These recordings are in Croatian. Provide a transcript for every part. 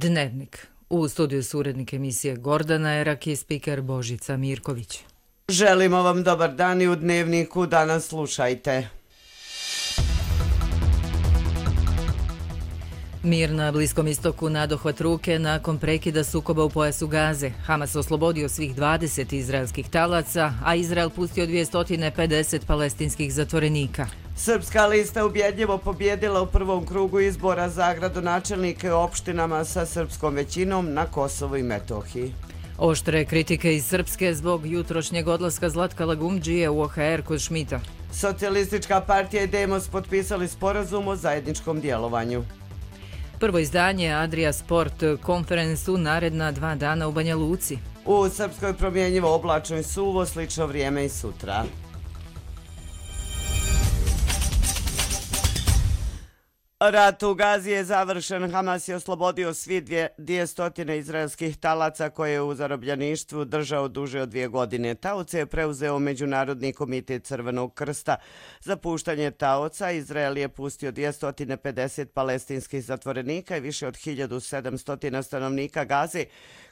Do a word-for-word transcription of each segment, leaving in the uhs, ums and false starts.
Dnevnik. U studiju su urednik emisije Gordana Erak i spiker Božica Mirković. Želimo vam dobar dan i u Dnevniku danas slušajte. Mir na Bliskom istoku nadohvat ruke nakon prekida sukoba u pojasu Gaze. Hamas oslobodio svih dvadeset izraelskih talaca, a Izrael pustio dvjesto pedeset palestinskih zatvorenika. Srpska lista ubjedljivo pobjedila u prvom krugu izbora za gradonačelnike u opštinama sa srpskom većinom na Kosovu i Metohiji. Oštre kritike iz Srpske zbog jutrošnjeg odlaska Zlatka Lagumdžije u O H R kod Šmita. Socijalistička partija i Demos potpisali sporazum o zajedničkom djelovanju. Prvo izdanje Adria Sport Conference u naredna dva dana u Banja Luci. U Srpskoj promjenjivo oblačno i suvo, slično vrijeme i sutra. Rat u Gazi je završen. Hamas je oslobodio svi dvjesto izraelskih talaca koje je u zarobljeništvu držao duže od dvije godine. Taoce je preuzeo Međunarodni komitet Crvenog krsta. Za puštanje taoca Izrael je pustio dvjesto pedeset palestinskih zatvorenika i više od hiljadu sedamsto stanovnika Gaze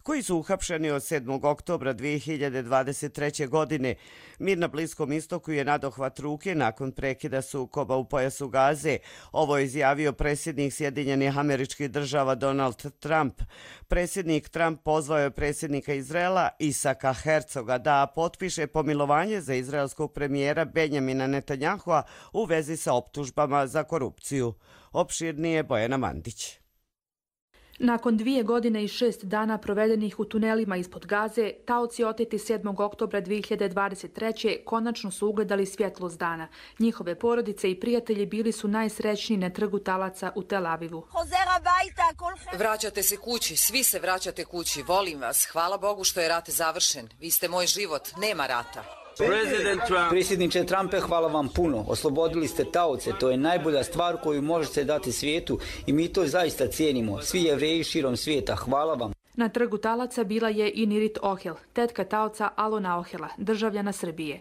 koji su uhapšeni od sedmog oktobra dvije hiljade dvadeset treće. godine. Mir na Bliskom istoku je nadohvat ruke nakon prekida sukoba u pojasu Gaze. Ovo je izjavio predsjednik Sjedinjenih Američkih Država Donald Trump. Predsjednik Trump pozvao je predsjednika Izraela Isaka Hercoga da potpiše pomilovanje za izraelskog premijera Benjamina Netanjahua u vezi sa optužbama za korupciju. Opširnije Bojana Mandić. Nakon dvije godine i šest dana provedenih u tunelima ispod Gaze, taoci oteti sedmog oktobra dvije hiljade dvadeset treće. konačno su ugledali svjetlost dana. Njihove porodice i prijatelji bili su najsrećniji na trgu talaca u Tel Avivu. Vraćate se kući, svi se vraćate kući, volim vas. Hvala Bogu što je rat završen. Vi ste moj život, nema rata. Predsjedniče Trumpe, hvala vam puno. Oslobodili ste taoce, to je najbolja stvar koju možete dati svijetu i mi to zaista cijenimo. Svi Jevreji širom svijeta, hvala vam. Na trgu talaca bila je i Nirit Ohel, tetka taoca Alona Ohela, državljana Srbije.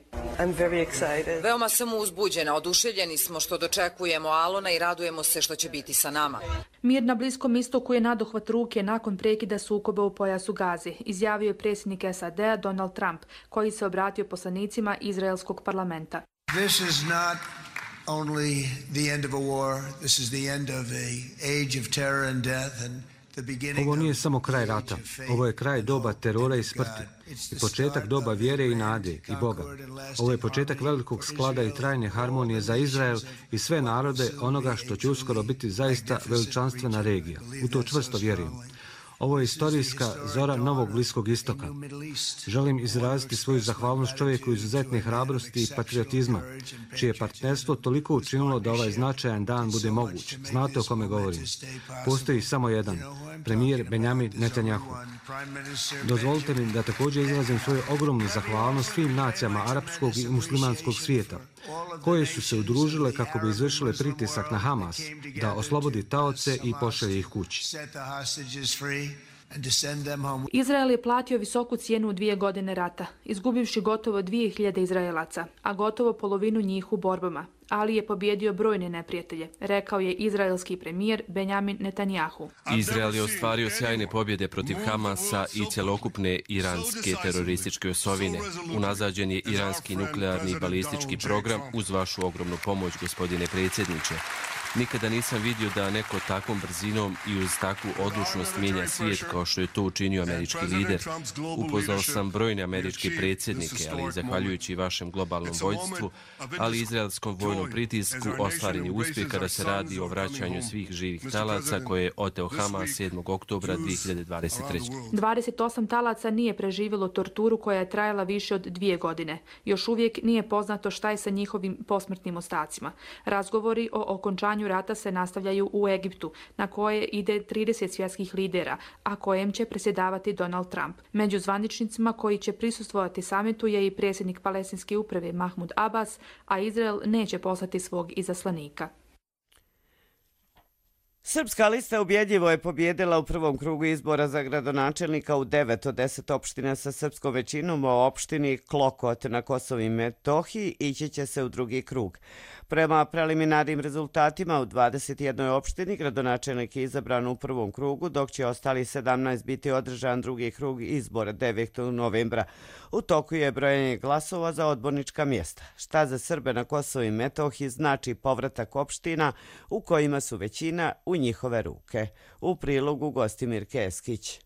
Veoma sam uzbuđena, oduševljeni smo što dočekujemo Alona i radujemo se što će biti sa nama. Mir na Bliskom istoku je nadohvat ruke nakon prekida sukoba u pojasu Gaze, izjavio je predsjednik S A D-a Donald Trump, koji se obratio poslanicima izraelskog parlamenta. This is not only the end of a war, this is the end of a age of terror and death and Ovo nije samo kraj rata, ovo je kraj doba terora i smrti i početak doba vjere i nade i Boga. Ovo je početak velikog sklada i trajne harmonije za Izrael i sve narode onoga što će uskoro biti zaista veličanstvena regija. U to čvrsto vjerujem. Ovo je istorijska zora novog Bliskog istoka. Želim izraziti svoju zahvalnost čovjeku izuzetne hrabrosti i patriotizma, čije partnerstvo toliko učinilo da ovaj značajan dan bude moguć. Znate o kome govorim. Postoji samo jedan, premijer Benjamin Netanjahu. Dozvolite mi da također izrazim svoju ogromnu zahvalnost svim nacijama arapskog i muslimanskog svijeta, koje su se udružile kako bi izvršile pritisak na Hamas da oslobodi taoce i pošalje ih kući. Izrael je platio visoku cijenu u dvije godine rata, izgubivši gotovo dvije hiljade Izraelaca, a gotovo polovinu njih u borbama, ali je pobjedio brojne neprijatelje, rekao je izraelski premijer Benjamin Netanjahu. Izrael je ostvario sjajne pobjede protiv Hamasa i cjelokupne iranske terorističke osovine. Unazađen je iranski nuklearni i balistički program uz vašu ogromnu pomoć, gospodine predsjedniče. Nikada nisam vidio da neko takvom brzinom i uz takvu odlučnost mijenja svijet kao što je to učinio američki lider. Upoznao sam brojne američke predsjednike, ali zahvaljujući vašem globalnom vođstvu, ali i izraelskom vojnom pritisku, ostvaren je uspjeh kada se radi o vraćanju svih živih talaca koje je oteo Hamas sedmog oktobra dvije hiljade dvadeset treće. dvadeset osam talaca nije preživjelo torturu koja je trajala više od dvije godine. Još uvijek nije poznato šta je sa njihovim posmrtnim ostacima. Razgovori o okončanju rata se nastavljaju u Egiptu, na koje ide trideset svjetskih lidera, a kojem će predsjedavati Donald Trump. Među zvaničnicima koji će prisustvovati samitu je i predsjednik palestinske uprave Mahmud Abbas, a Izrael neće poslati svog izaslanika. Srpska lista ubjedljivo je pobjedila u prvom krugu izbora za gradonačelnika u devet od deset opština sa srpskom većinom, u opštini Klokot na Kosovu i Metohiji ići će se u drugi krug. Prema preliminarnim rezultatima u dvadeset jednoj opštini gradonačelnik je izabran u prvom krugu, dok će ostali sedamnaest biti održan drugi krug izbora devetog novembra. U toku je brojanje glasova za odbornička mjesta. Šta za Srbe na Kosovu i Metohiji znači povratak opština u kojima su većina u njihove ruke. U prilogu Gostimir Keskić.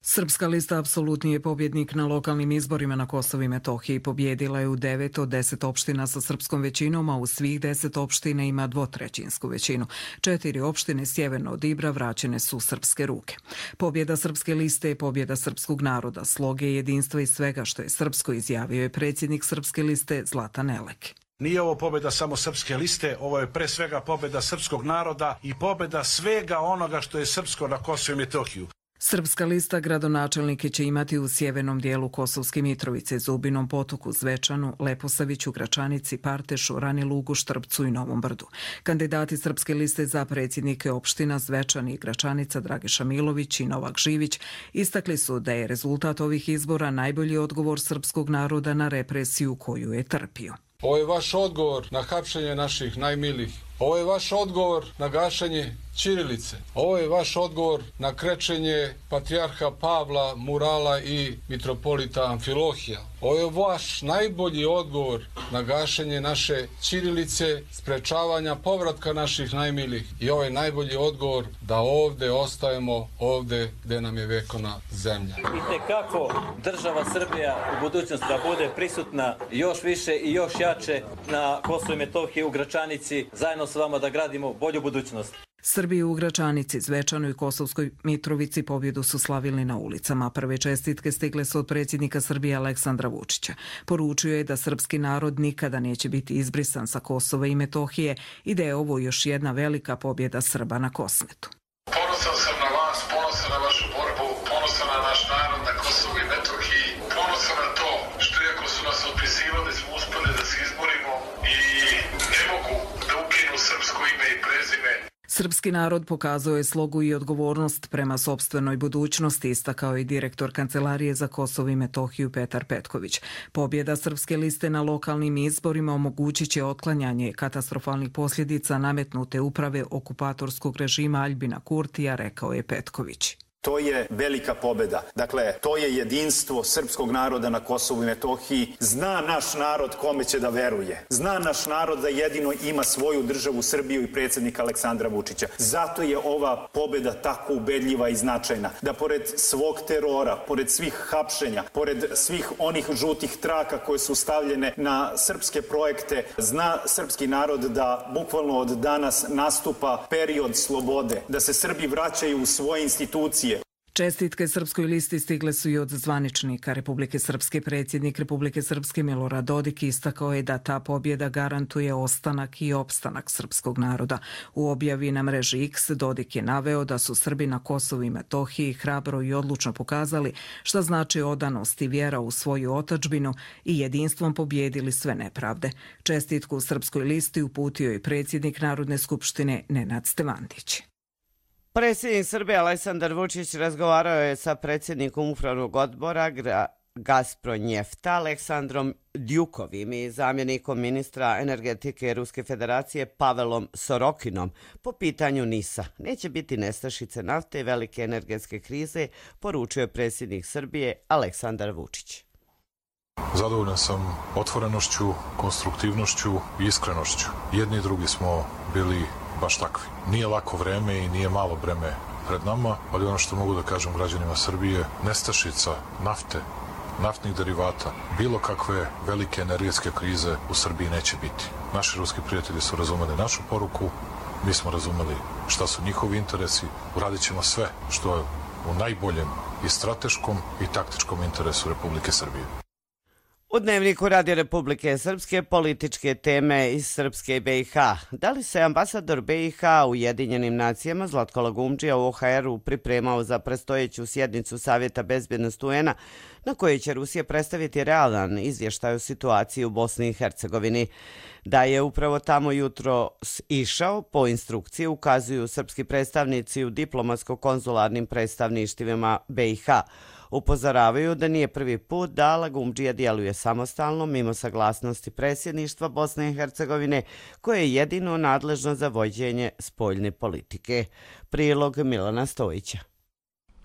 Srpska lista apsolutni je pobjednik na lokalnim izborima na Kosovu i Metohiji. Pobjedila je u devet od deset opština sa srpskom većinom, a u svih deset opština ima dvotrećinsku većinu. Četiri opštine sjeverno od Ibra vraćene su u srpske ruke. Pobjeda Srpske liste je pobjeda srpskog naroda, sloge jedinstva i svega što je srpsko, izjavio je predsjednik Srpske liste Zlatan Elek. Nije ovo pobjeda samo Srpske liste, ovo je pre svega pobjeda srpskog naroda i pobjeda svega onoga što je srpsko na Kosovu i Metohiju. Srpska lista gradonačelnike će imati u sjevernom dijelu Kosovske Mitrovice, Zubinom Potoku, Zvečanu, Leposaviću, Gračanici, Partešu, Ranilugu, Štrpcu i Novom Brdu. Kandidati Srpske liste za predsjednike opština Zvečan i Gračanica, Dragiša Milović i Novak Živić, istakli su da je rezultat ovih izbora najbolji odgovor srpskog naroda na represiju koju je trpio. Ovo je vaš odgovor na hapšenje naših najmilijih. Ovo je vaš odgovor na gašenje ćirilice. Ovo je vaš odgovor na krečenje patrijarha Pavla, murala i mitropolita Amfilohija. Ovo je vaš najbolji odgovor na gašenje naše ćirilice, sprečavanja povratka naših najmilijih. I ovo je najbolji odgovor da ovdje ostajemo, ovdje gdje nam je vekovna zemlja. I tekako država Srbija u budućnosti da bude prisutna još više i još jače na Kosovu i Metohiji, u Gračanici, zajedno s vama da gradimo bolju budućnost. Srbi u Gračanici, Zvečanu i Kosovskoj Mitrovici pobjedu su slavili na ulicama. Prve čestitke stigle su od predsjednika Srbije Aleksandra Vučića. Poručio je da srpski narod nikada neće biti izbrisan sa Kosova i Metohije i da je ovo još jedna velika pobjeda Srba na Kosmetu. Ponosan sam na vas, ponosan na vašu borbu, ponosan na naš narod na Kosovu i Metohiji, ponosan na to što iako su nas odpisivali smo uspjeli da se izborimo i ne mogu da ukinu srpsko ime i prezime. Srpski narod pokazao je slogu i odgovornost prema sopstvenoj budućnosti, istakao i direktor Kancelarije za Kosovo i Metohiju Petar Petković. Pobjeda Srpske liste na lokalnim izborima omogućit će otklanjanje katastrofalnih posljedica nametnute uprave okupatorskog režima Aljbina Kurtija, rekao je Petković. To je velika pobjeda. Dakle, to je jedinstvo srpskog naroda na Kosovu i Metohiji. Zna naš narod kome će da veruje. Zna naš narod da jedino ima svoju državu Srbiju i predsjednika Aleksandra Vučića. Zato je ova pobjeda tako ubedljiva i značajna. Da pored svog terora, pored svih hapšenja, pored svih onih žutih traka koje su stavljene na srpske projekte, zna srpski narod da bukvalno od danas nastupa period slobode. Da se Srbi vraćaju u svoje institucije. Čestitke Srpskoj listi stigle su i od zvaničnika Republike Srpske. Predsjednik Republike Srpske Milorad Dodik istakao je da ta pobjeda garantuje ostanak i opstanak srpskog naroda. U objavi na mreži X Dodik je naveo da su Srbi na Kosovu i Metohiji hrabro i odlučno pokazali šta znači odanost i vjera u svoju otadžbinu i jedinstvom pobjedili sve nepravde. Čestitku Srpskoj listi uputio je predsjednik Narodne skupštine Nenad Stevandić. Predsjednik Srbije Aleksandar Vučić razgovarao je sa predsjednikom upravnog odbora Gazpronjefta Aleksandrom Djukovim i zamjenikom ministra energetike Ruske federacije Pavelom Sorokinom po pitanju NIS-a. Neće biti nestašice nafte i velike energetske krize, poručio je predsjednik Srbije Aleksandar Vučić. Zadovoljan sam otvorenošću, konstruktivnošću i iskrenošću. Jedni i drugi smo bili baš takvi. Nije lako vreme i nije malo vreme pred nama, ali ono što mogu da kažem građanima Srbije, nestašica nafte, naftnih derivata, bilo kakve velike energetske krize u Srbiji neće biti. Naši ruski prijatelji su razumeli našu poruku, mi smo razumeli šta su njihovi interesi, uradit ćemo sve što je u najboljem i strateškom i taktičkom interesu Republike Srbije. U Dnevniku Radija Republike Srpske političke teme iz Srpske i B i H. Da li se ambasador B i H u Ujedinjenim nacijama Zlatko Lagumdžija u O H R-u pripremao za predstojeću sjednicu Savjeta bezbjednosti U N-a na kojoj će Rusija predstaviti realan izvještaj o situaciji u Bosni i Hercegovini? Da je upravo tamo jutro išao, po instrukciji ukazuju srpski predstavnici u diplomatsko-konzularnim predstavništvima B i H. Upozoravaju da nije prvi put da Lagumdžija djeluje samostalno mimo saglasnosti predsjedništva Bosne i Hercegovine, koje je jedino nadležno za vođenje spoljne politike. Prilog Milana Stojića.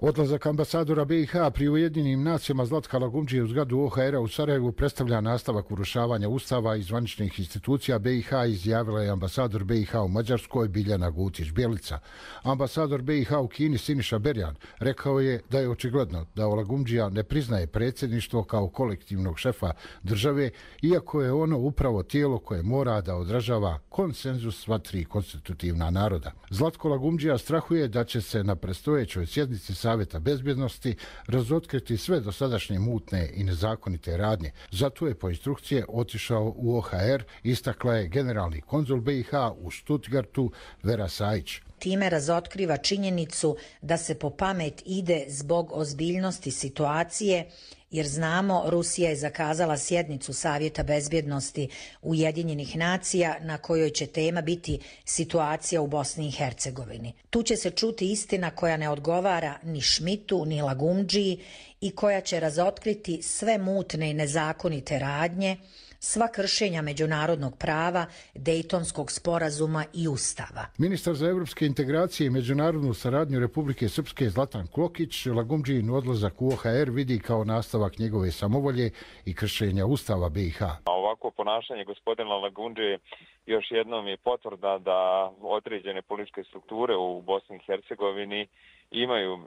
Odlazak ambasadora B i H pri Ujedinjenim nacijama Zlatka Lagumdžije u zgradu O H R-a u Sarajevu predstavlja nastavak urušavanja ustava i zvaničnih institucija B i H, izjavila je ambasador B i H u Mađarskoj Biljana Gutić-Bjelica. Ambasador B i H u Kini Siniša Berjan rekao je da je očigledno da Lagumdžija ne priznaje predsjedništvo kao kolektivnog šefa države, iako je ono upravo tijelo koje mora da odražava konsenzus sva tri konstitutivna naroda. Zlatko Lagumdžija strahuje da će se na predstojećoj sjednici Savjeta bezbjednosti razotkriti sve dosadašnje mutne i nezakonite radnje. Zato je po instrukcije otišao u O H R, istakla je generalni konzul B i H u Stuttgartu Vera Sajić. Time razotkriva činjenicu da se po pamet ide zbog ozbiljnosti situacije, jer znamo Rusija je zakazala sjednicu Savjeta bezbjednosti Ujedinjenih nacija na kojoj će tema biti situacija u Bosni i Hercegovini. Tu će se čuti istina koja ne odgovara ni Šmitu ni Lagumdžiji i koja će razotkriti sve mutne i nezakonite radnje, sva kršenja međunarodnog prava, Dejtonskog sporazuma i Ustava. Ministar za evropske integracije i međunarodnu saradnju Republike Srpske Zlatan Klokić Lagumdžijin odlazak u O H R vidi kao nastavak njegove samovolje i kršenja Ustava B i H. Ovako ponašanje gospodina Lagumdžije još jednom je potvrda da određene političke strukture u Bosni i Hercegovini imaju e,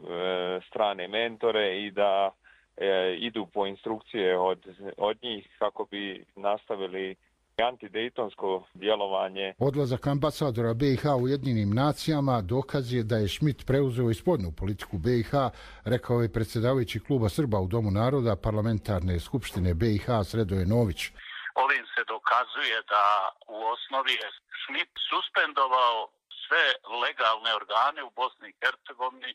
strane mentore i da idu po instrukcije od, od njih kako bi nastavili antidejtonsko djelovanje. Odlazak ambasadora B i H u Ujedinjenim nacijama dokaz je da je Šmit preuzeo i spoljnu politiku B i H, rekao je predsjedavajući kluba Srba u Domu naroda parlamentarne skupštine B i H Sredoje Nović. Ovim se dokazuje da u osnovi je Šmit suspendovao sve legalne organe u Bosni i Hercegovini,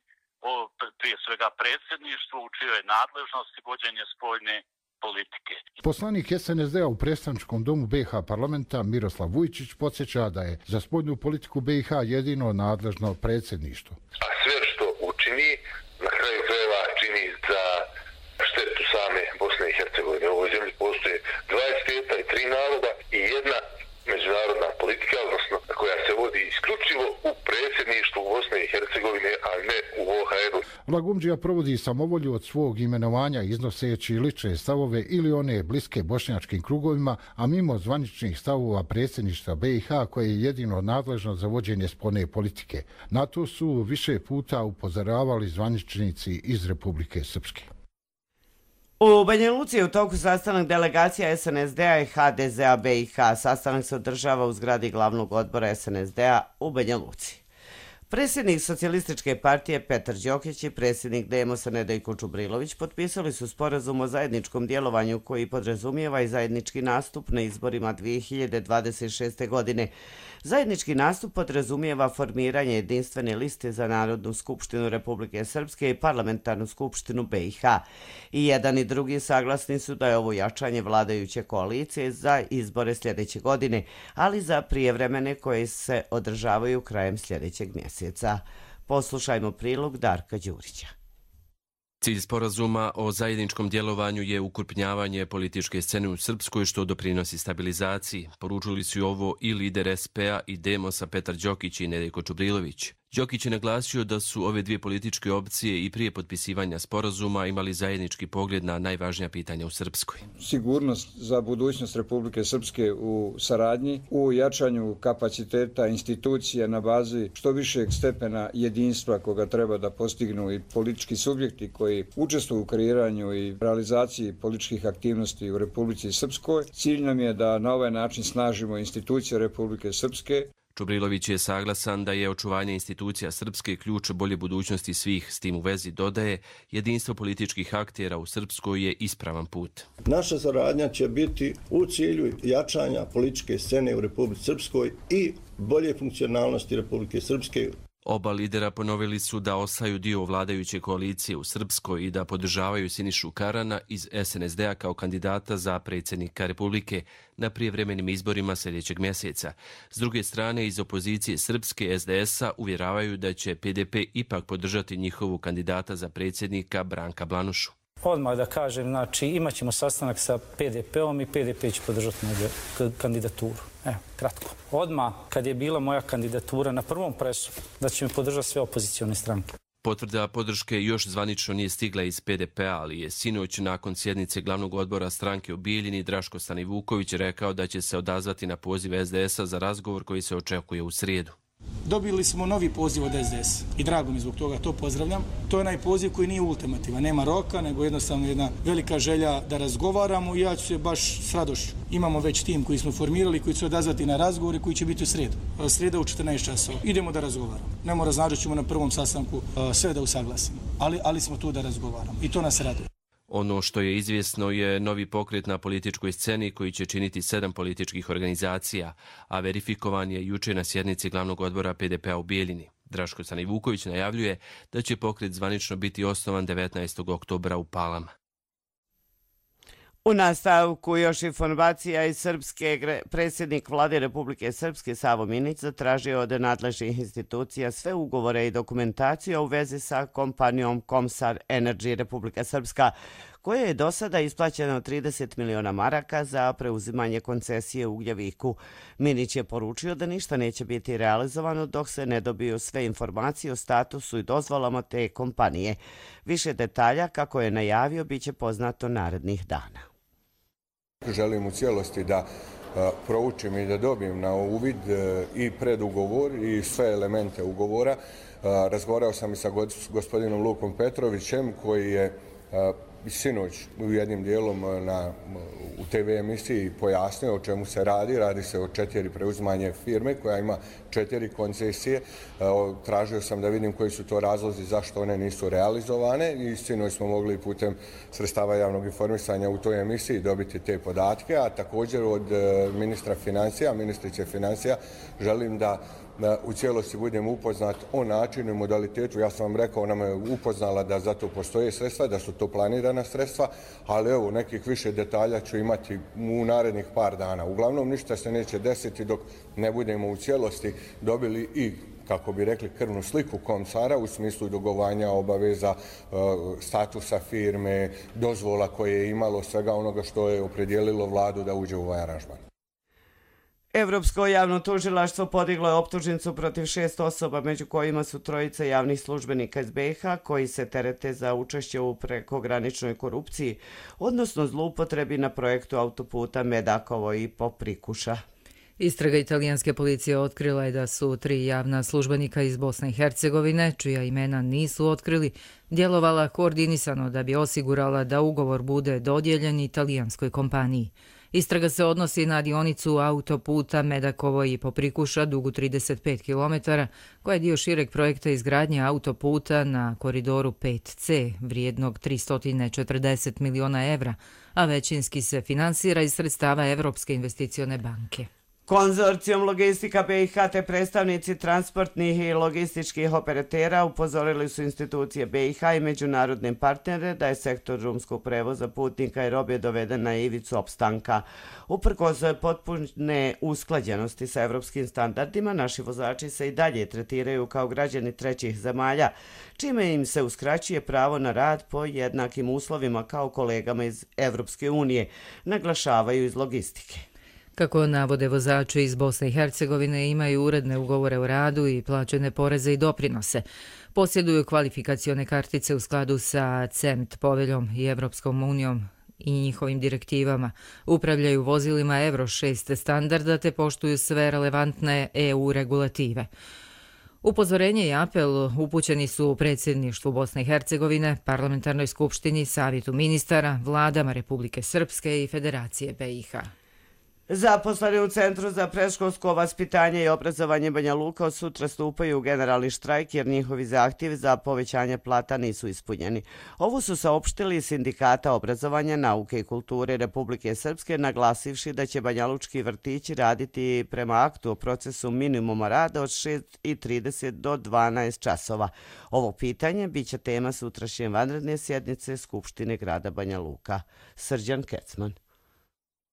prije svega predsjedništvo u čijoj nadležnosti vođenje spoljne politike. Poslanik S N S D-a u predstavničkom domu B i H parlamenta Miroslav Vujčić podsjeća da je za spoljnu politiku B i H jedino nadležno predsjedništvo. A sve što učini, na kraju krajeva čini za štetu same Bosne i Hercegovine. U ovoj zemlji postoje dva svijeta i tri naroda i jedna međunarodna politika, odnosno koja se vodi isključivo u predsjedništvu Bosne i Hercegovine, a ne u O H R-u. Lagumdžija provodi samovolju od svog imenovanja iznoseći lične stavove ili one bliske bošnjačkim krugovima, a mimo zvaničnih stavova predsjedništva B i H koje je jedino nadležno za vođenje spoljne politike. Na to su više puta upozoravali zvaničnici iz Republike Srpske. U Banja Luci je u toku sastanak delegacija S N S D-a i H D Z-a B i H. Sastanak se održava u zgradi glavnog odbora S N S D-a u Banja Luci. Predsjednik Socijalističke partije Petar Đokić i predsjednik Demosa Nedjeljko Čubrilović potpisali su sporazum o zajedničkom djelovanju koji podrazumijeva i zajednički nastup na izborima dvije hiljade dvadeset šeste. godine. Zajednički nastup podrazumijeva formiranje jedinstvene liste za Narodnu skupštinu Republike Srpske i Parlamentarnu skupštinu B i H. I jedan i drugi saglasni su da je ovo jačanje vladajuće koalicije za izbore sljedeće godine, ali za prijevremene koje se održavaju krajem sljedećeg mjeseca. Poslušajmo prilog Darka Đurića. Cilj sporazuma o zajedničkom djelovanju je ukrupnjavanje političke scene u Srpskoj što doprinosi stabilizaciji. Poručili su ovo i lider S P-a i Demosa Petar Đokić i Nedjeljko Čubrilović. Đokić je naglasio da su ove dvije političke opcije i prije potpisivanja sporazuma imali zajednički pogled na najvažnija pitanja u Srpskoj. Sigurnost za budućnost Republike Srpske u saradnji, u jačanju kapaciteta institucija na bazi što višeg stepena jedinstva koga treba da postignu i politički subjekti koji učestvuju u kreiranju i realizaciji političkih aktivnosti u Republici Srpskoj. Cilj nam je da na ovaj način snažimo institucije Republike Srpske. Čubrilović je saglasan da je očuvanje institucija Srpske ključ bolje budućnosti svih. S tim u vezi dodaje, jedinstvo političkih aktera u Srpskoj je ispravan put. Naša saradnja će biti u cilju jačanja političke scene u Republici Srpskoj i bolje funkcionalnosti Republike Srpske. Oba lidera ponovili su da ostaju dio vladajuće koalicije u Srpskoj i da podržavaju Sinišu Karana iz S N S D-a kao kandidata za predsjednika Republike na prijevremenim izborima sljedećeg mjeseca. S druge strane, iz opozicije Srpske S D S-a uvjeravaju da će P D P ipak podržati njihovu kandidata za predsjednika Branka Blanušu. Odmah da kažem, znači imat ćemo sastanak sa P D P-om i P D P će podržati moju kandidaturu. Evo, kratko. Odmah, kad je bila moja kandidatura na prvom presu, da će mi podržati sve opozicione stranke. Potvrda podrške još zvanično nije stigla iz P D P-a, ali je sinoć nakon sjednice glavnog odbora stranke u Bijeljini Draško Stanivuković rekao da će se odazvati na poziv S D S-a za razgovor koji se očekuje u srijedu. Dobili smo novi poziv od S D S i drago mi zbog toga, to pozdravljam. To je onaj poziv koji nije ultimativan, nema roka, nego jednostavno jedna velika želja da razgovaramo i ja ću se baš s radošću. Imamo već tim koji smo formirali, koji će odazvati na razgovore koji će biti u srijedu. Srijeda u četrnaest časova. Idemo da razgovaramo. Ne mora znači ćemo na prvom sastanku sve da usaglasimo, ali, ali smo tu da razgovaramo i to nas raduje. Ono što je izvjesno je novi pokret na političkoj sceni koji će činiti sedam političkih organizacija, a verifikovan je juče na sjednici glavnog odbora P D P-a u Bijeljini. Draško Stanivuković najavljuje da će pokret zvanično biti osnovan devetnaestog oktobra u Palama. U nastavku još informacija iz Srpske. Predsjednik vlade Republike Srpske Savo Minić zatražio od nadležnih institucija sve ugovore i dokumentaciju u vezi sa kompanijom Komsar Energy Republika Srpska, koja je do sada isplaćeno trideset miliona maraka za preuzimanje koncesije u Ugljeviku. Minić je poručio da ništa neće biti realizovano dok se ne dobiju sve informacije o statusu i dozvolama te kompanije. Više detalja, kako je najavio, bit će poznato narednih dana. Želim u cijelosti da proučim i da dobijem na uvid i predugovor i sve elemente ugovora. Razgovarao sam i sa gospodinom Lukom Petrovićem koji je sinoć u jednim dijelom na, u T V emisiji pojasnio o čemu se radi. Radi se o četiri preuzimanje firme koja ima četiri koncesije. Tražio sam da vidim koji su to razlozi zašto one nisu realizovane i sinoć smo mogli putem sredstava javnog informisanja u toj emisiji dobiti te podatke, a također od ministra financija, ministrice financija, želim da u cijelosti budem upoznat o načinu i modalitetu. Ja sam vam rekao, ona me upoznala da za to postoje sredstva, da su to planirana sredstva, ali evo, nekih više detalja ću imati u narednih par dana. Uglavnom, ništa se neće desiti dok ne budemo u cijelosti dobili i, kako bi rekli, krvnu sliku Komsara u smislu dugovanja, obaveza, statusa firme, dozvola koje je imalo, svega onoga što je opredijelilo vladu da uđe u ovaj aranžman. Evropsko javno tužilaštvo podiglo je optužnicu protiv šest osoba, među kojima su trojica javnih službenika iz B iH koji se terete za učešće u prekograničnoj korupciji, odnosno zloupotrebi na projektu autoputa Medakovo i Poprikuša. Istraga italijanske policije otkrila je da su tri javna službenika iz Bosne i Hercegovine, čija imena nisu otkrili, djelovala koordinisano da bi osigurala da ugovor bude dodijeljen italijanskoj kompaniji. Istraga se odnosi na dionicu autoputa Medakovo i Poprikuša dugu trideset pet kilometara, koja je dio šireg projekta izgradnje autoputa na koridoru pet C, vrijednog tristo četrdeset miliona evra, a većinski se finansira iz sredstava Evropske investicione banke. Konzorcijum Logistika B iH te predstavnici transportnih i logističkih operatera upozorili su institucije B iH i međunarodne partnere da je sektor drumskog prevoza putnika i robe doveden na ivicu opstanka. Uprkos potpune usklađenosti sa evropskim standardima, naši vozači se i dalje tretiraju kao građani trećih zemalja, čime im se uskraćuje pravo na rad po jednakim uslovima kao kolegama iz Evropske unije, naglašavaju iz logistike. Kako navode vozači iz Bosne i Hercegovine, imaju uredne ugovore o radu i plaćene poreze i doprinose. Posjeduju kvalifikacione kartice u skladu sa C E M T poveljom i Evropskom unijom i njihovim direktivama. Upravljaju vozilima Euro šest standarda te poštuju sve relevantne E U regulative. Upozorenje i apel upućeni su predsjedništvu Bosne i Hercegovine, Parlamentarnoj skupštini, Savjetu ministara, vladama Republike Srpske i Federacije B iH. Zaposleni u Centru za predškolsko vaspitanje i obrazovanje Banja Luka od sutra stupaju u generalni štrajk jer njihovi zahtjevi za povećanje plata nisu ispunjeni. Ovo su saopštili Sindikata obrazovanja, nauke i kulture Republike Srpske, naglasivši da će banjalučki vrtići raditi prema aktu o procesu minimuma rada od šest i trideset do dvanaest časova. Ovo pitanje biće tema sutrašnje vanredne sjednice Skupštine grada Banja Luka. Srđan Kecman.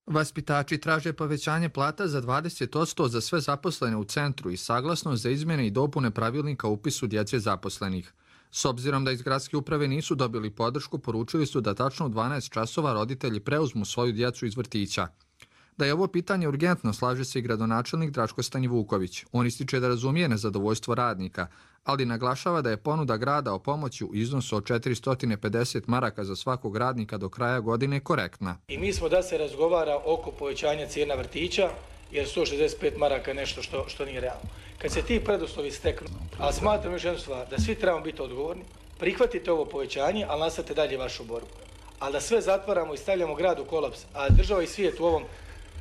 Vaspitači traže povećanje plata za dvadeset posto za sve zaposlene u centru i saglasnost za izmjene i dopune pravilnika o upisu djece zaposlenih. S obzirom da iz gradske uprave nisu dobili podršku, poručili su da tačno u dvanaest časova roditelji preuzmu svoju djecu iz vrtića. Da je ovo pitanje urgentno, slaže se i gradonačelnik Draško Stanjevuković. On ističe da razumije nezadovoljstvo radnika, ali naglašava da je ponuda grada o pomoći u iznosu od četiristo pedeset maraka za svakog radnika do kraja godine korektna. I mi smo da se razgovara oko povećanja cijena vrtića, jer sto šezdeset pet maraka je nešto što, što nije realno. Kad se ti preduslovi steknu, ali smatram još jednu stvar, da svi trebamo biti odgovorni, prihvatite ovo povećanje, ali nastavite dalje vašu borbu. Ali da sve zatvaramo i stavljamo grad u kolaps, a država i svijet u ovom,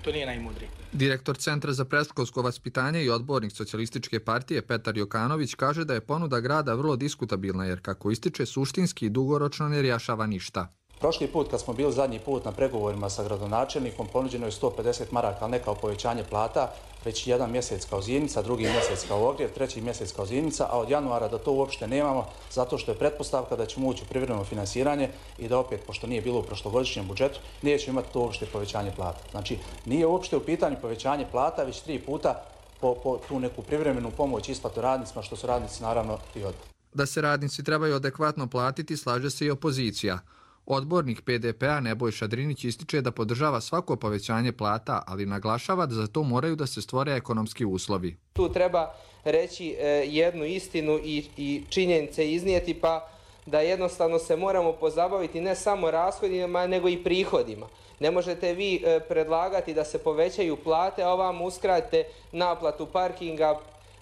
to nije najmudrije. Direktor Centra za predškolsko vaspitanje i odbornik Socijalističke partije Petar Jokanović kaže da je ponuda grada vrlo diskutabilna jer, kako ističe, suštinski i dugoročno ne rješava ništa. Prošli put kad smo bili zadnji put na pregovorima sa gradonačelnikom ponuđeno je sto pedeset maraka, ali ne kao povećanje plata, već jedan mjesec kao zimnica, drugi mjesec kao ogrjev, treći mjesec kao zimnica, a od januara da to uopšte nemamo zato što je pretpostavka da ćemo ući u privremeno finansiranje i da opet, pošto nije bilo u prošlogodišnjem budžetu, nećemo imati to uopšte povećanje plata. Znači, nije uopšte u pitanju povećanje plata, već tri puta po, po tu neku privremenu pomoć isplatu radnicima, što su radnici naravno i odbili. Da se radnici trebaju adekvatno platiti, slaže se i opozicija. Odbornik P D P-a Nebojša Drinić ističe da podržava svako povećanje plata, ali naglašava da za to moraju da se stvore ekonomski uslovi. Tu treba reći jednu istinu i, i činjenice iznijeti, pa da jednostavno se moramo pozabaviti ne samo rashodima, nego i prihodima. Ne možete vi predlagati da se povećaju plate, a ovam uskratite naplatu parkinga,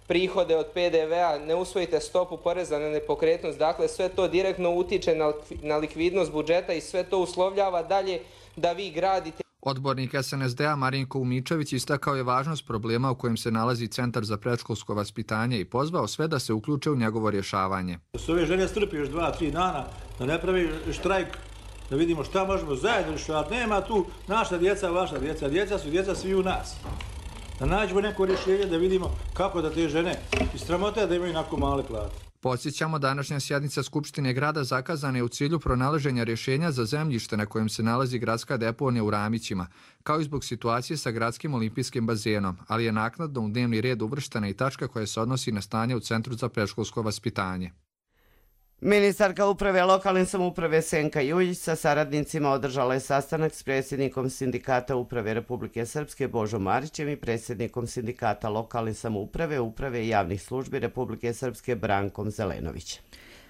prihode od P D V-a, ne usvojite stopu poreza na nepokretnost, dakle sve to direktno utiče na, na likvidnost budžeta i sve to uslovljava dalje da vi gradite. Odbornik S N S D-a Marinko Umičević istakao je važnost problema u kojem se nalazi Centar za predškolsko vaspitanje i pozvao sve da se uključe u njegovo rješavanje. Da se ove žene strpi još dva, tri dana, da ne pravi štrajk, da vidimo šta možemo zajedno rješavati. Nema tu naša djeca, vaša djeca, djeca su djeca svi u nas. Da nađemo neko rješenje da vidimo kako da te žene istramote da imaju onako male plate. Podsjećamo, današnja sjednica Skupštine grada zakazana je u cilju pronalaženja rješenja za zemljište na kojem se nalazi gradska deponija u Ramićima, kao i zbog situacije sa gradskim olimpijskim bazenom, ali je naknadno u dnevni red uvrštena i tačka koja se odnosi na stanje u Centru za predškolsko vaspitanje. Ministarka uprave lokalne samouprave Senka Juljić sa saradnicima održala je sastanak s predsjednikom Sindikata uprave Republike Srpske Božom Marićem i predsjednikom Sindikata lokalne samouprave, uprave i javnih službi Republike Srpske Brankom Zelenovićem.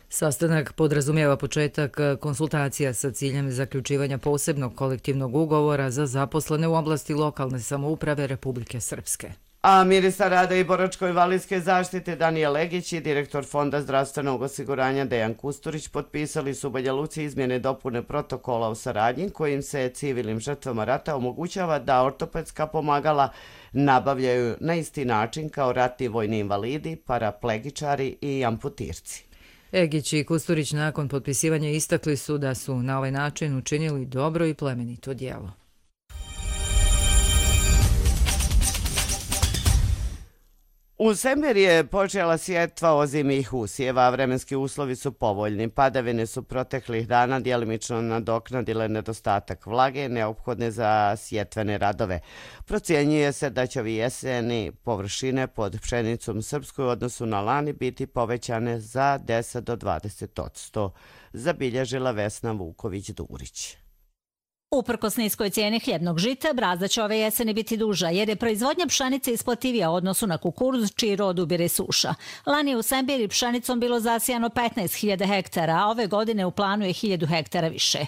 Sastanak podrazumijeva početak konsultacija sa ciljem zaključivanja posebnog kolektivnog ugovora za zaposlene u oblasti lokalne samouprave Republike Srpske. A ministar rada i boračko-invalidske zaštite Danijel Legić i direktor Fonda zdravstvenog osiguranja Dejan Kusturić potpisali su u Banja Luci izmjene dopune protokola o saradnji kojim se civilnim žrtvama rata omogućava da ortopedska pomagala nabavljaju na isti način kao ratni vojni invalidi, paraplegičari i amputirci. Egić i Kusturić nakon potpisivanja istakli su da su na ovaj način učinili dobro i plemenito djelo. U Semeri je počela sjetva ozimih usjeva, a vremenski uslovi su povoljni. Padavine su proteklih dana djelimično nadoknadile nedostatak vlage neophodne za sjetvene radove. Procjenjuje se da će ovi jeseni površine pod pšenicom srpskoj u odnosu na lani biti povećane za deset do dvadeset posto, zabilježila Vesna Vuković-Durić. Uprkos niskoj cijeni hljebnog žita, brazda će ove jeseni biti duža, jer je proizvodnja pšenice isplativija u odnosu na kukuruz, čiji rod ubire suša. Lani je u Sembiri pšenicom bilo zasijano petnaest hiljada hektara, a ove godine u planu je hiljadu hektara više.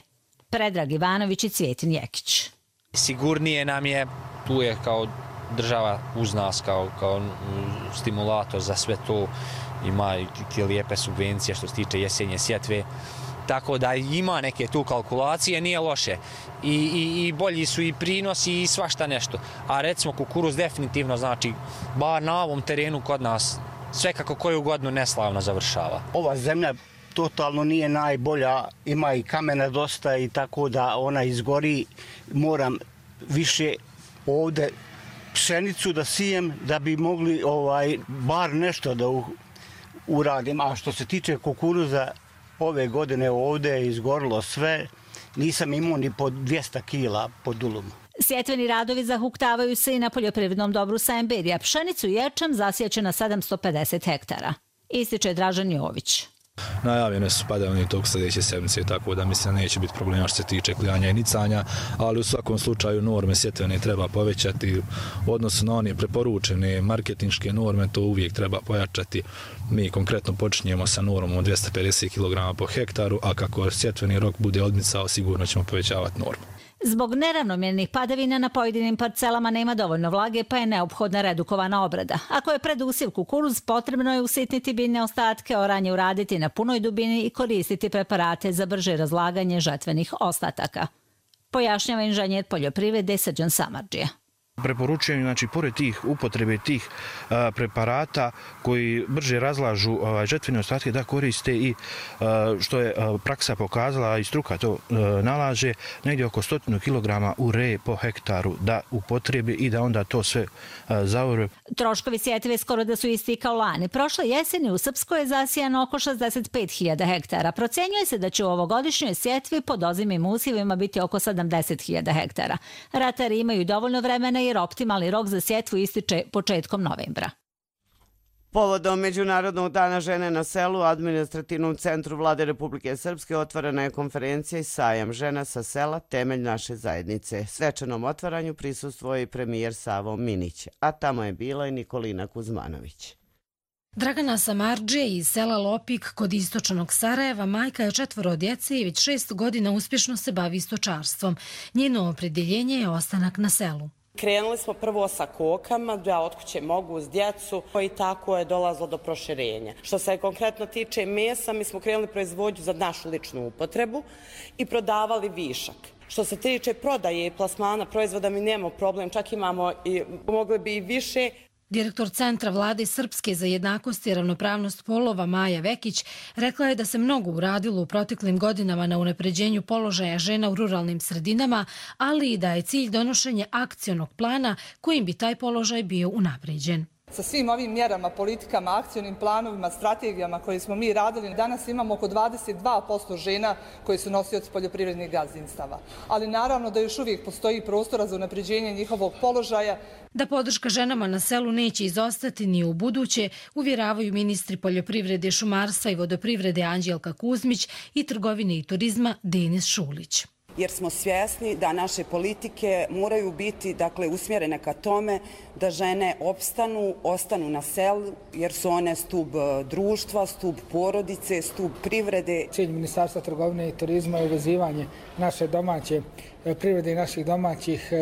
Predrag Ivanović i Cvjetin Jekić. Sigurnije nam je, tu je kao država uz nas, kao, kao stimulator za sve to, ima i lijepe subvencije što se tiče jesenje sjetve. tako da ima neke tu kalkulacije, nije loše. I, i, i bolji su i prinosi i svašta nešto. A recimo kukuruz definitivno, znači, bar na ovom terenu kod nas, sve kako koju godinu neslavno završava. Ova zemlja totalno nije najbolja, ima i kamena dosta i tako da ona izgori. Moram više ovde pšenicu da sijem da bi mogli ovaj bar nešto da u, uradim. A što se tiče kukuruza, ove godine ovde je izgorilo sve. Nisam imao ni po dvjesto kila po dulumu. Sjetveni radovi zahuktavaju se i na poljoprivrednom dobru Semberija. Pšenicu i ječam zasjeće na sedamsto pedeset hektara. Ističe Dražan Jović. Najavljene su padavine tog sljedeće sedmice, tako da mislim da neće biti problema što se tiče klijanja i nicanja, ali u svakom slučaju norme sjetvene treba povećati, u odnosu na one preporučene marketinške norme, to uvijek treba pojačati. Mi konkretno počinjemo sa normom od dvjesto pedeset kilograma po hektaru, a kako sjetveni rok bude odmicao, sigurno ćemo povećavati normu. Zbog neravnomjernih padavina na pojedinim parcelama nema dovoljno vlage, pa je neophodna redukovana obrada. Ako je predusiv kukuruz, potrebno je usitniti biljne ostatke, oranje uraditi na punoj dubini i koristiti preparate za brže razlaganje žetvenih ostataka. Pojašnjava inženjer poljoprivrede Srđan Samardžija. Preporučujem, znači, pored tih upotrebe tih a, preparata koji brže razlažu a, žetvene ostatke, da koriste i, a, što je a, praksa pokazala i struka to a, nalaže, negdje oko stotinu kilograma ure po hektaru da upotrebe i da onda to sve a, zaore. Troškovi sjetve skoro da su isti kao lani. Prošle jeseni u Srpskoj je zasijano oko šezdeset pet hiljada hektara. Procenjuje se da će u ovogodišnjoj sjetvi pod ozimim usjevima biti oko sedamdeset hiljada hektara. Ratari imaju dovoljno vremena jer optimalni rok za sjetvu ističe početkom novembra. Povodom Međunarodnog dana žene na selu u administrativnom centru Vlade Republike Srpske otvorena je konferencija i sajam žena sa sela, temelj naše zajednice. Svečanom otvaranju prisustvuje i premijer Savo Minić, a tamo je bila i Nikolina Kuzmanović. Dragana Samardžija iz sela Lopik kod istočnog Sarajeva majka je četvoro djece i već šest godina uspješno se bavi stočarstvom. Njeno opredjeljenje je ostanak na selu. Krenuli smo prvo sa kokama, da od kuće mogu uz djecu i tako je dolazilo do proširenja. Što se konkretno tiče mesa, mi smo krenuli proizvodnju za našu ličnu upotrebu i prodavali višak. Što se tiče prodaje i plasmana proizvoda, mi nemamo problem, čak imamo i mogli bi i više. Direktor Centra Vlade Srpske za jednakost i ravnopravnost polova Maja Vekić rekla je da se mnogo uradilo u proteklim godinama na unapređenju položaja žena u ruralnim sredinama, ali i da je cilj donošenje akcionog plana kojim bi taj položaj bio unapređen. Sa svim ovim mjerama, politikama, akcionim planovima, strategijama koje smo mi radili, danas imamo oko dvadeset dva posto žena koji su nosioci poljoprivrednih gazdinstava. Ali naravno da još uvijek postoji prostora za unapređenje njihovog položaja. Da podrška ženama na selu neće izostati ni u buduće, uvjeravaju ministri poljoprivrede, šumarstva i vodoprivrede Anđelka Kuzmić i trgovine i turizma Denis Šulić. Jer smo svjesni da naše politike moraju biti, dakle, usmjerene ka tome da žene opstanu, ostanu na selu, jer su one stup društva, stup porodice, stup privrede. Cilj Ministarstva trgovine i turizma je uvezivanje naše domaće privrede i naših domaćih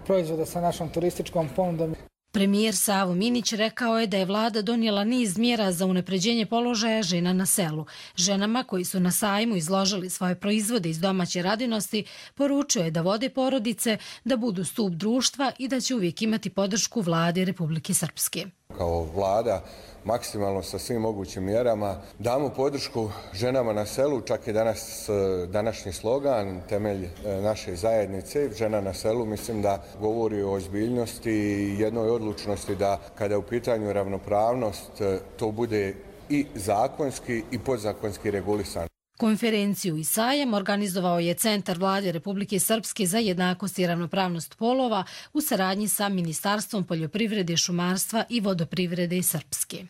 proizvoda sa našom turističkom ponudom. Premijer Savo Minić rekao je da je vlada donijela niz mjera za unapređenje položaja žena na selu. Ženama koji su na sajmu izložili svoje proizvode iz domaće radinosti, poručio je da vode porodice, da budu stup društva i da će uvijek imati podršku vlade Republike Srpske. Kao vlada maksimalno sa svim mogućim mjerama damo podršku ženama na selu, čak i danas današnji slogan, temelj naše zajednice, žena na selu, mislim da govori o ozbiljnosti i jednoj odlučnosti da kada je u pitanju ravnopravnost to bude i zakonski i podzakonski regulisano. Konferenciju i sajam organizovao je Centar Vlade Republike Srpske za jednakost i ravnopravnost polova u saradnji sa Ministarstvom poljoprivrede, šumarstva i vodoprivrede Srpske.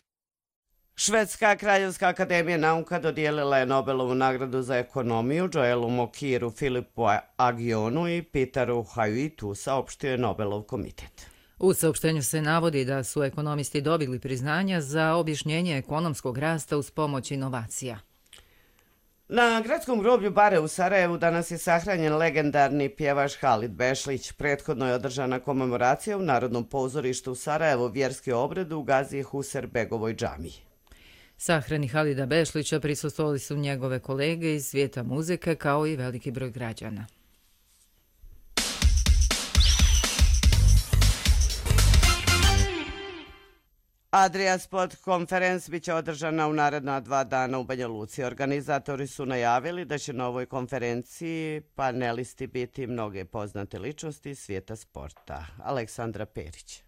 Švedska kraljevska akademija nauka dodijelila je Nobelovu nagradu za ekonomiju Joelu Mokiru, Filipu Agionu i Peteru Hajuitu, saopštio je Nobelov komitet. U saopštenju se navodi da su ekonomisti dobili priznanja za objašnjenje ekonomskog rasta uz pomoć inovacija. Na gradskom groblju Bare u Sarajevu danas je sahranjen legendarni pjevač Halid Bešlić. Prethodno je održana komemoracija u Narodnom pozorištu u Sarajevu, vjerski obred u Gazije Huserbegovoj džamiji. Sahrani Halida Bešlića prisustvovali su njegove kolege iz svijeta muzike kao i veliki broj građana. Adria Sport Conference biće održana u naredna dva dana u Banja Luci. Organizatori su najavili da će na ovoj konferenciji panelisti biti mnoge poznate ličnosti iz svijeta sporta. Aleksandra Perić.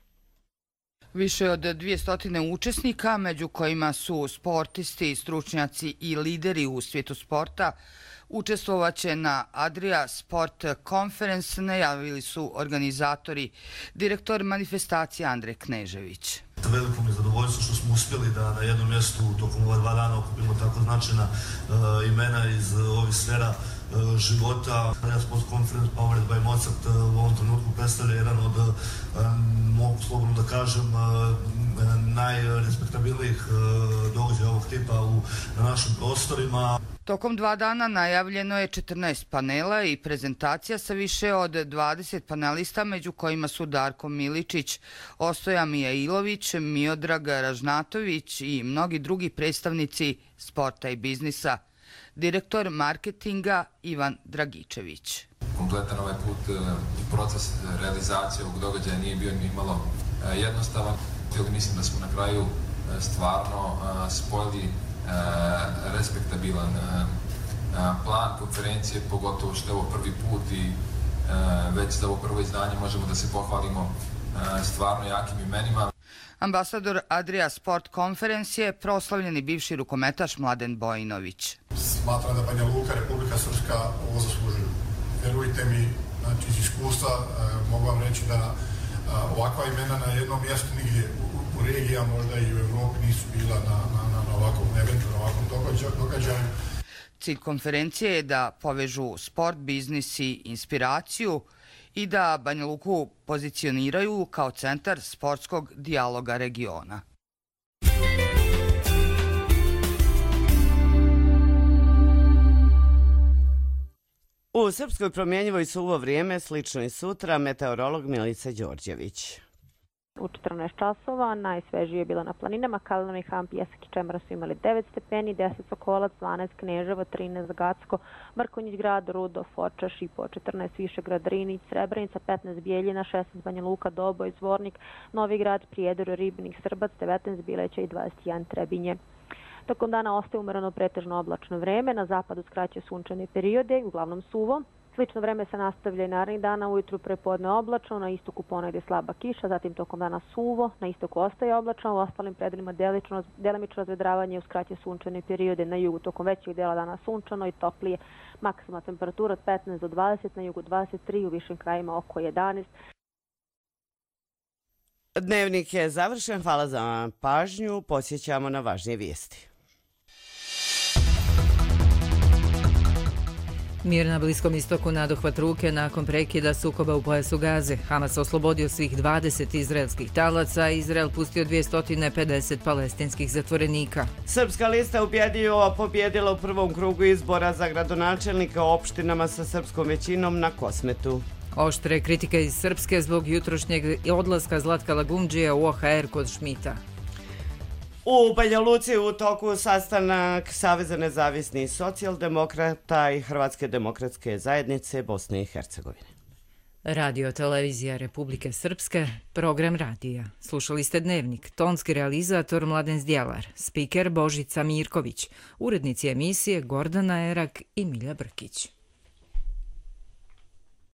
Više od dvjesto učesnika, među kojima su sportisti, stručnjaci i lideri u svijetu sporta, učestvovaće na Adria Sport Conference, najavili su organizatori, direktor manifestacije Andrej Knežević. Veliko mi je zadovoljstvo što smo uspjeli da na jednom mjestu tokom ova dva dana okupimo tako značajna uh, imena iz uh, ovih sfera uh, života. Adria Sport Conference Powered by Mozart uh, u ovom trenutku predstavlja jedan od, uh, mogu slobodno da kažem, uh, najrespektabilnijih uh, događaja ovog tipa u, na našim prostorima. Tokom dva dana najavljeno je četrnaest panela i prezentacija sa više od dvadeset panelista, među kojima su Darko Miličić, Ostoja Mijailović, Miodrag Ražnatović i mnogi drugi predstavnici sporta i biznisa. Direktor marketinga Ivan Dragičević. Kompletan ovaj put i proces realizacije ovog događaja nije bio ni malo jednostavan. Mislim da smo na kraju stvarno spojili respektabilan plan konferencije, pogotovo što je ovo prvi put i već za ovo prvo izdanje možemo da se pohvalimo stvarno jakim imenima. Ambasador Adria Sport Conference je proslavljeni bivši rukometaš Mladen Bojinović. Smatram da Banja Luka, Republika Srpska ovo zaslužuju. Verujte mi, znači iz iskustva mogu vam reći da ovakva imena na jednom mjestu nigdje u regiji, a možda i u Evropi nisu bila na, na, na ovakvom eventu, na ovakvom događaju. Cilj konferencije je da povežu sport, biznis i inspiraciju i da Banja Luku pozicioniraju kao centar sportskog dijaloga regiona. U Srpskoj promjenjivoj suvo vrijeme, slično i sutra, meteorolog Milica Đorđević. U četrnaest časova najsvežije je bilo na planinama. Kalinovi, Ham, Pjesak i Čemara su imali devet stepeni, deset Sokolac, dvanaest Kneževo, trinaest Gacko, Mrkonjić grad, Rudo, Foča, Šipo, četrnaest Višegrad, Rinić, Srebrenica, petnaest Bijeljina, šesnaest Banja Luka, Doboj, Zvornik, Novi grad, Prijedor, Ribnik, Srbac, devetnaest Bileća i dvadeset jedan Trebinje. Tokom dana ostaje umereno pretežno oblačno vreme, na zapadu skraće sunčane periode, uglavnom suvo. Slično vreme se nastavlja i narednih dana, ujutru prepodne oblačno, na istoku ponegdje slaba kiša, zatim tokom dana suvo, na istoku ostaje oblačno, u ostalim predelima delimično razvedravanje uz kraće sunčane periode, na jugu tokom većeg dela dana sunčano i toplije, maksimalna temperatura od petnaest do dvadeset, na jugu dvadeset tri, u višim krajima oko jedanaest. Dnevnik je završen, hvala za pažnju, posjećamo na važnije vijesti. Mir na Bliskom istoku nadohvat ruke nakon prekida sukoba u pojasu Gaze. Hamas oslobodio svih dvadeset izraelskih talaca, a Izrael pustio dvjesto pedeset palestinskih zatvorenika. Srpska lista ubjedljivo pobjedila u prvom krugu izbora za gradonačelnika u opštinama sa srpskom većinom na Kosmetu. Oštre kritike iz Srpske zbog jutrošnjeg odlaska Zlatka Lagumdžija u O H R kod Šmita. U Banja Luci u toku sastanak Saveza nezavisnih socijaldemokrata i Hrvatske demokratske zajednice Bosne i Hercegovine. Radio televizija Republike Srpske, program radija. Slušali ste Dnevnik, tonski realizator Mladen Zdjelar, spiker Božica Mirković, urednici emisije Gordana Erak i Milja Brkić.